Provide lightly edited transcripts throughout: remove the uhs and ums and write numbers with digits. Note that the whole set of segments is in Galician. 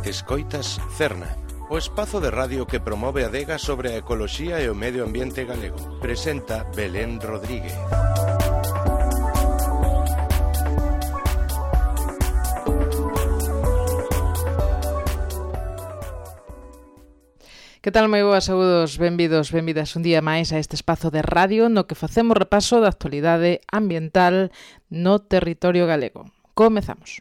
Escoitas Cerna, o espazo de radio que promove a adega sobre a ecoloxía e o medio ambiente galego. Presenta Belén Rodríguez. Que tal, moi boas, saúdos, benvidos, benvidas un día máis a este espazo de radio no que facemos repaso da actualidade ambiental no territorio galego. Comezamos.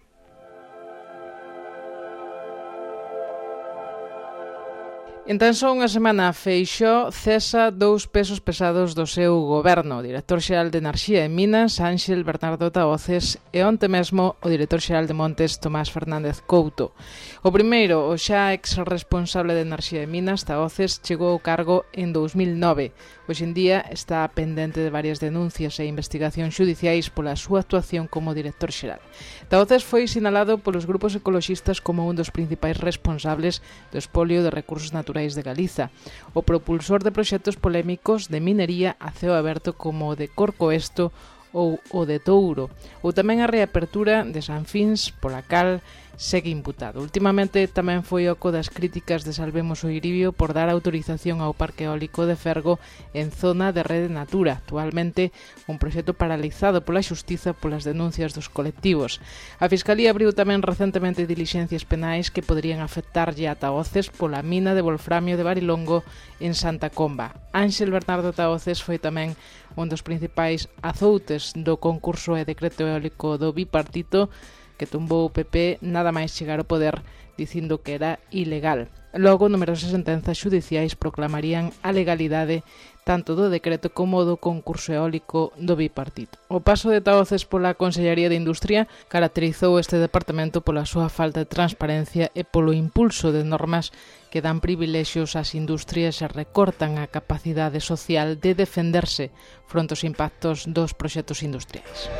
En tan só unha semana, Feixóo cesa 2 pesos pesados do seu goberno, o director xeral de Enerxía e Minas, Ánxel Bernardo Tahoces, e onte mesmo o director xeral de Montes, Tomás Fernández Couto. O primeiro, o xa ex-responsable de Enerxía e Minas, Tahoces, chegou ao cargo en 2009. Hoxe en día está pendente de varias denuncias e investigacións xudiciais pola súa actuación como director xeral. Tahoces foi sinalado polos grupos ecoloxistas como un dos principais responsables do expolio de recursos naturais de Galiza, o propulsor de proxectos polémicos de minería a ceo aberto como o de Corcoesto ou o de Touro, ou tamén a reapertura de Sanfins, pola cal segue imputado. Últimamente tamén foi oco das críticas de Salvemos o Iribio por dar autorización ao Parque Eólico de Fergo en zona de Rede Natura, actualmente un proxecto paralizado pola xustiza polas denuncias dos colectivos. A Fiscalía abriu tamén recentemente dilixencias penais que poderían afectarlle a Tahoces pola mina de wolframio de Barilongo en Santa Comba. Ánxel Bernardo Tahoces foi tamén un dos principais azoutes do concurso e decreto eólico do bipartito que tumbou o PP nada máis chegar ao poder dicindo que era ilegal. Logo, numerosas sentenzas xudiciais proclamarían a legalidade tanto do decreto como do concurso eólico do bipartito. O paso de Tahoces pola Consellería de Industria caracterizou este departamento pola súa falta de transparencia e polo impulso de normas que dan privilexios ás industrias e recortan a capacidade social de defenderse fronte aos impactos dos proxectos industriais.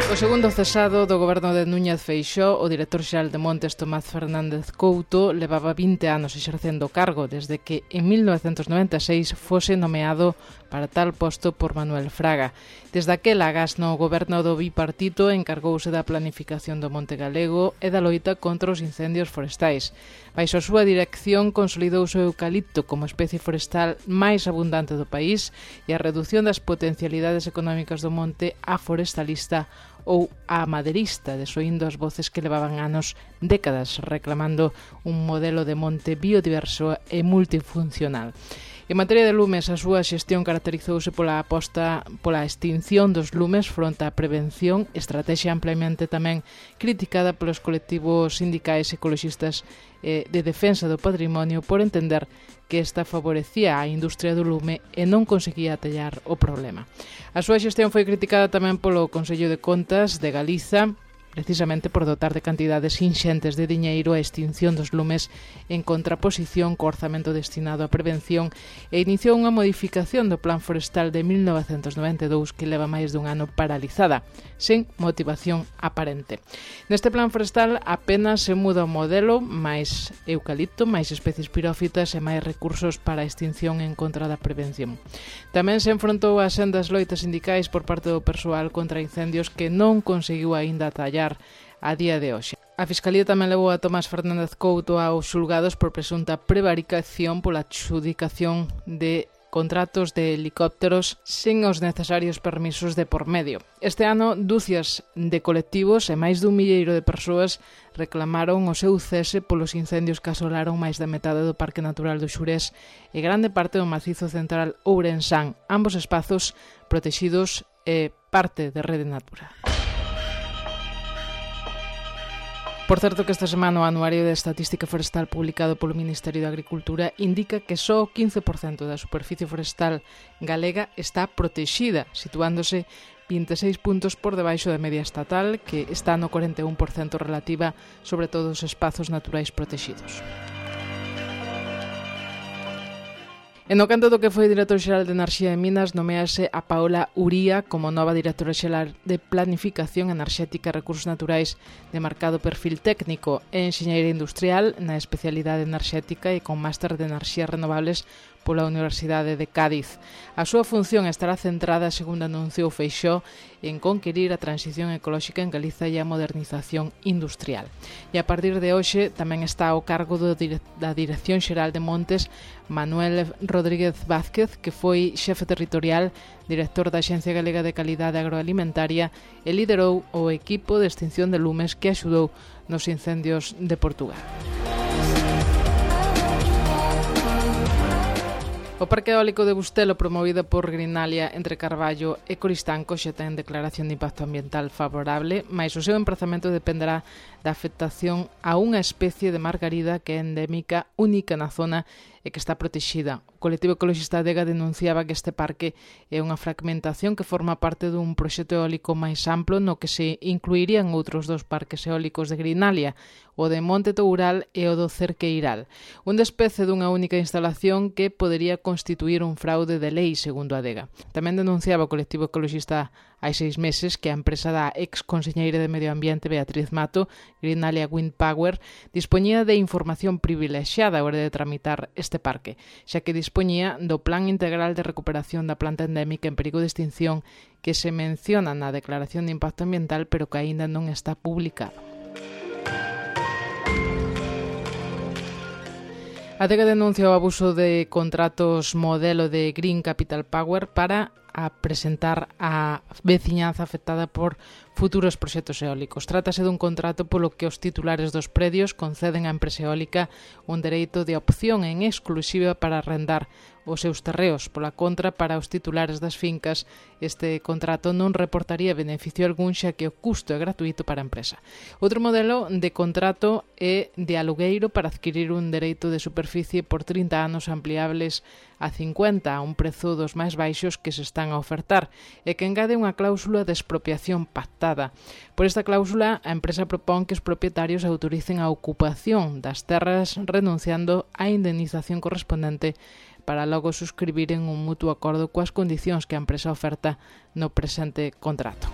O segundo cesado do goberno de Núñez Feixóo, o director xeral de Montes, Tomás Fernández Couto, levaba 20 anos exercendo o cargo desde que en 1996 fose nomeado para tal posto por Manuel Fraga. Desde aquela agás no goberno do bipartito encargouse da planificación do Monte Galego e da loita contra os incendios forestais. Baixo a súa dirección consolidouse o eucalipto como especie forestal máis abundante do país e a redución das potencialidades económicas do monte a forestalista ou a maderista, desoindo as voces que levaban anos, décadas, reclamando un modelo de monte biodiverso e multifuncional. En materia de lumes, a súa xestión caracterizouse pola aposta pola extinción dos lumes fronte á prevención, estrategia ampliamente tamén criticada polos colectivos sindicais ecoloxistas de defensa do patrimonio por entender que esta favorecía a industria do lume e non conseguía atallar o problema. A súa xestión foi criticada tamén polo Consello de Contas de Galiza, precisamente por dotar de cantidades inxentes de diñeiro a extinción dos lumes en contraposición co orzamento destinado á prevención e iniciou unha modificación do Plan Forestal de 1992 que leva máis dun ano paralizada, sen motivación aparente. Neste Plan Forestal apenas se muda o modelo, máis eucalipto, máis especies pirófitas e máis recursos para a extinción en contra da prevención. Tamén se enfrontou a sendas loitas sindicais por parte do persoal contra incendios que non conseguiu aínda atallar a día de hoxe. A Fiscalía tamén levou a Tomás Fernández Couto aos xulgados por presunta prevaricación pola adxudicación de contratos de helicópteros sen os necesarios permisos de por medio. Este ano, dúcias de colectivos e máis dun milleiro de persoas reclamaron o seu cese polos incendios que asolaron máis da metade do Parque Natural do Xurés e grande parte do macizo central Ourensán, ambos espazos protexidos e parte de Rede Natura. Por certo que esta semana o Anuario de Estatística Forestal publicado polo Ministerio de Agricultura indica que só o 15% da superficie forestal galega está protexida, situándose 26 puntos por debaixo da media estatal, que está no 41% relativa sobre todos os espazos naturais protexidos. E no canto do que foi director xeral de Enerxía e Minas, nomease a Paola Uría como nova directora xeral de Planificación Enerxética e Recursos Naturais de marcado perfil técnico e enxeñeira industrial na especialidade enerxética e con máster de enerxías renovables pola Universidade de Cádiz. A súa función estará centrada, segundo anunciou Feixóo, en conquerir a transición ecolóxica en Galiza e a modernización industrial. E a partir de hoxe tamén está ao cargo da Dirección Xeral de Montes Manuel Rodríguez Vázquez, que foi xefe territorial, director da Axencia Galega de Calidade Agroalimentaria e liderou o equipo de extinción de lumes que axudou nos incendios de Portugal. O Parque Eólico de Bustelo, promovido por Greenalia entre Carballo e Coristanco, xa ten declaración de impacto ambiental favorable, mais o seu emprazamento dependerá da afectación a unha especie de margarida que é endémica, única na zona e que está protexida. O colectivo ecologista Adega denunciaba que este parque é unha fragmentación que forma parte dun proxecto eólico máis amplo no que se incluirían outros dos parques eólicos de Greenalia, o de Monte Toural e o do Cerqueiral. Un despece dunha única instalación que podería constituir un fraude de lei, segundo Adega. Tamén denunciaba o colectivo ecologista hai 6 meses que a empresa da ex-conselleira de Medio Ambiente Beatriz Mato, Greenalia Wind Power, dispoñía de información privilexiada a hora de tramitar este parque, xa que dispoñía do Plan Integral de Recuperación da Planta Endémica en Perigo de Extinción que se menciona na Declaración de Impacto Ambiental pero que aínda non está publicado. Adega denuncia o abuso de contratos modelo de Green Capital Power para presentar a veciñanza afectada por futuros proxectos eólicos. Trátase dun contrato polo que os titulares dos predios conceden á empresa eólica un dereito de opción en exclusiva para arrendar os seus terreos. Pola contra, para os titulares das fincas, este contrato non reportaría beneficio algún xa que o custo é gratuito para a empresa. Outro modelo de contrato é de alugueiro para adquirir un dereito de superficie por 30 anos ampliables a 50 a un prezo dos máis baixos que se están a ofertar e que engade unha cláusula de expropiación pactada. Por esta cláusula, a empresa propón que os propietarios autoricen a ocupación das terras renunciando á indemnización correspondente para logo suscribiren un mutuo acordo coas condicións que a empresa oferta no presente contrato.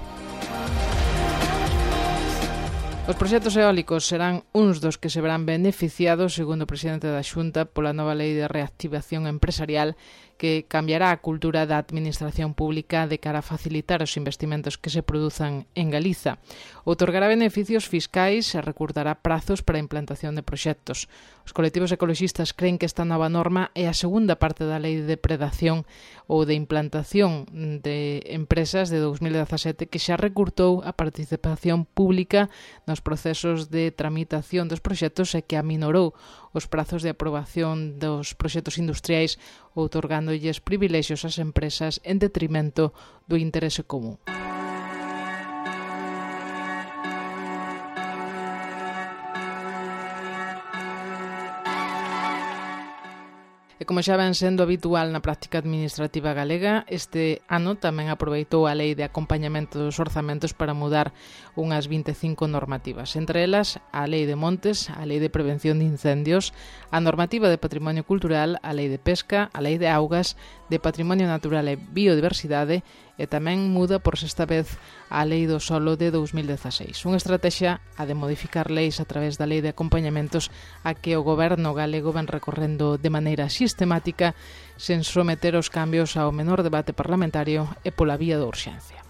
Os proxectos eólicos serán uns dos que se verán beneficiados, segundo o presidente da Xunta, pola nova lei de reactivación empresarial que cambiará a cultura da administración pública de cara a facilitar os investimentos que se produzan en Galiza. Outorgará beneficios fiscais e recurtará prazos para a implantación de proxectos. Os colectivos ecologistas creen que esta nova norma é a segunda parte da lei de depredación ou de implantación de empresas de 2017 que xa recurtou a participación pública nos procesos de tramitación dos proxectos e que aminorou os prazos de aprobación dos proxectos industriais outorgándolles privilexios ás empresas en detrimento do interese común. E como xa ven sendo habitual na práctica administrativa galega, este ano tamén aproveitou a lei de acompañamento dos orzamentos para mudar unhas 25 normativas, entre elas a lei de montes, a lei de prevención de incendios, a normativa de patrimonio cultural, a lei de pesca, a lei de augas, de patrimonio natural e biodiversidade e tamén muda por sexta vez a lei do solo de 2016. Unha estrategia a de modificar leis a través da lei de acompañamentos a que o goberno galego ven recorrendo de maneira sistemática sen someter os cambios ao menor debate parlamentario e pola vía da urxencia.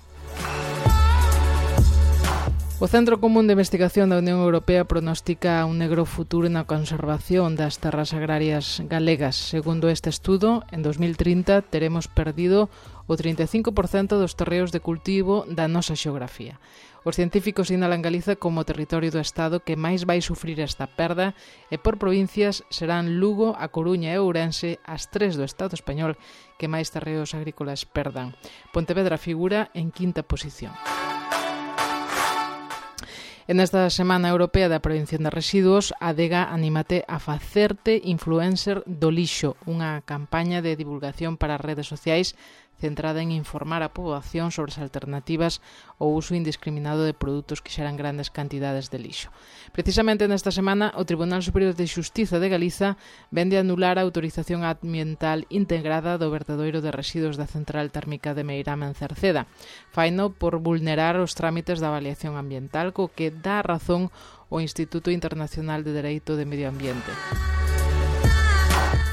O Centro Común de Investigación da Unión Europea pronostica un negro futuro na conservación das terras agrarias galegas. Segundo este estudo, en 2030 teremos perdido o 35% dos terreos de cultivo da nosa xeografía. Os científicos sinalan Galiza como territorio do Estado que máis vai sufrir esta perda e por provincias serán Lugo, A Coruña e Ourense as 3 do Estado español que máis terreos agrícolas perdan. Pontevedra figura en quinta posición. En esta Semana Europea da Prevención de Residuos, Adega anímate a facerte influencer do lixo, unha campaña de divulgación para as redes sociais centrada en informar a poboación sobre as alternativas ao uso indiscriminado de produtos que xeran grandes cantidades de lixo. Precisamente nesta semana, o Tribunal Superior de Xustiza de Galiza vende a anular a autorización ambiental integrada do vertedoiro de residuos da Central Térmica de Meirama en Cerceda. Faino por vulnerar os trámites da avaliación ambiental, co que dá razón o Instituto Internacional de Dereito de Medio Ambiente.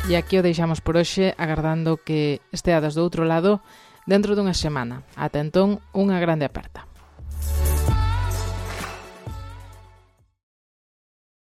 E E aquí o deixamos por hoxe, agardando que esteades do outro lado dentro dunha semana. Ata entón, unha grande aperta.